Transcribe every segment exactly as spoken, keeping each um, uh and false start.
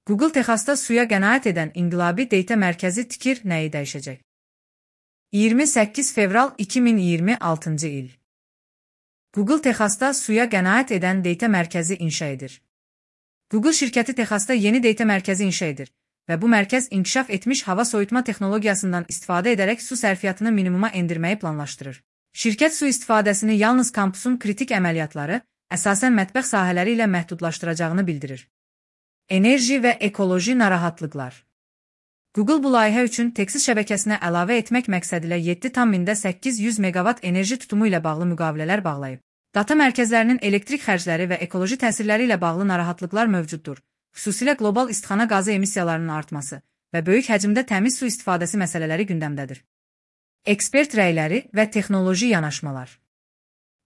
Google Texasda suya qənaət edən inqilabi data mərkəzi tikir, nəyi dəyişəcək? iyirmi səkkiz fevral iki min iyirmi altıncı il. Google Texasda suya qənaət edən data mərkəzi inşa edir. Google şirkəti Texasda yeni data mərkəzi inşa edir və bu mərkəz inkişaf etmiş hava soyutma texnologiyasından istifadə edərək su sərfiyyatını minimuma endirməyi planlaşdırır. Şirkət su istifadəsini yalnız kampusun kritik əməliyyatları, əsasən mətbəx sahələri ilə məhdudlaşdıracağını bildirir. Enerji və ekoloji narahatlıqlar. Google bu layihə üçün Texas şəbəkəsinə əlavə etmək məqsədilə yeddi tam mində səkkiz yüz meqavat enerji tutumu ilə bağlı müqavilələr bağlayıb. Data mərkəzlərinin elektrik xərcləri və ekoloji təsirləri ilə bağlı narahatlıqlar mövcuddur, xüsusilə qlobal istixana qazı emissiyalarının artması və böyük həcmdə təmiz su istifadəsi məsələləri gündəmdədir. Ekspert rəyləri və texnoloji yanaşmalar.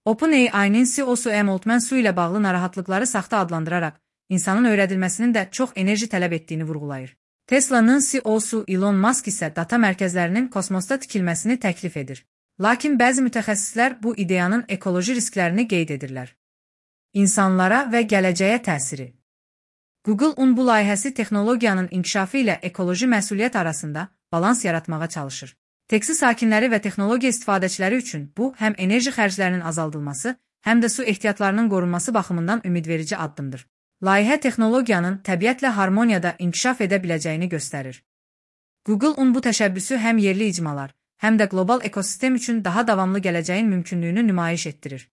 OpenAI-nin C E O-su Sam Altman su ilə bağlı narahatlıqları saxta adlandıraraq, insanın öyrədilməsinin də çox enerji tələb etdiyini vurğulayır. Tesla'nın C E O-su Elon Musk isə data mərkəzlərinin kosmosda tikilməsini təklif edir. Lakin bəzi mütəxəssislər bu ideyanın ekoloji risklərini qeyd edirlər. İnsanlara və gələcəyə təsiri. Google-un bu layihəsi texnologiyanın inkişafı ilə ekoloji məsuliyyət arasında balans yaratmağa çalışır. Texas sakinləri və texnologiya istifadəçiləri üçün bu, həm enerji xərclərinin azaldılması, həm də su ehtiyatlarının qorunması baxımından ümidverici addımdır. Layihə texnologiyanın təbiətlə harmoniyada inkişaf edə biləcəyini göstərir. Google-un bu təşəbbüsü həm yerli icmalar, həm də qlobal ekosistem üçün daha davamlı gələcəyin mümkünlüyünü nümayiş etdirir.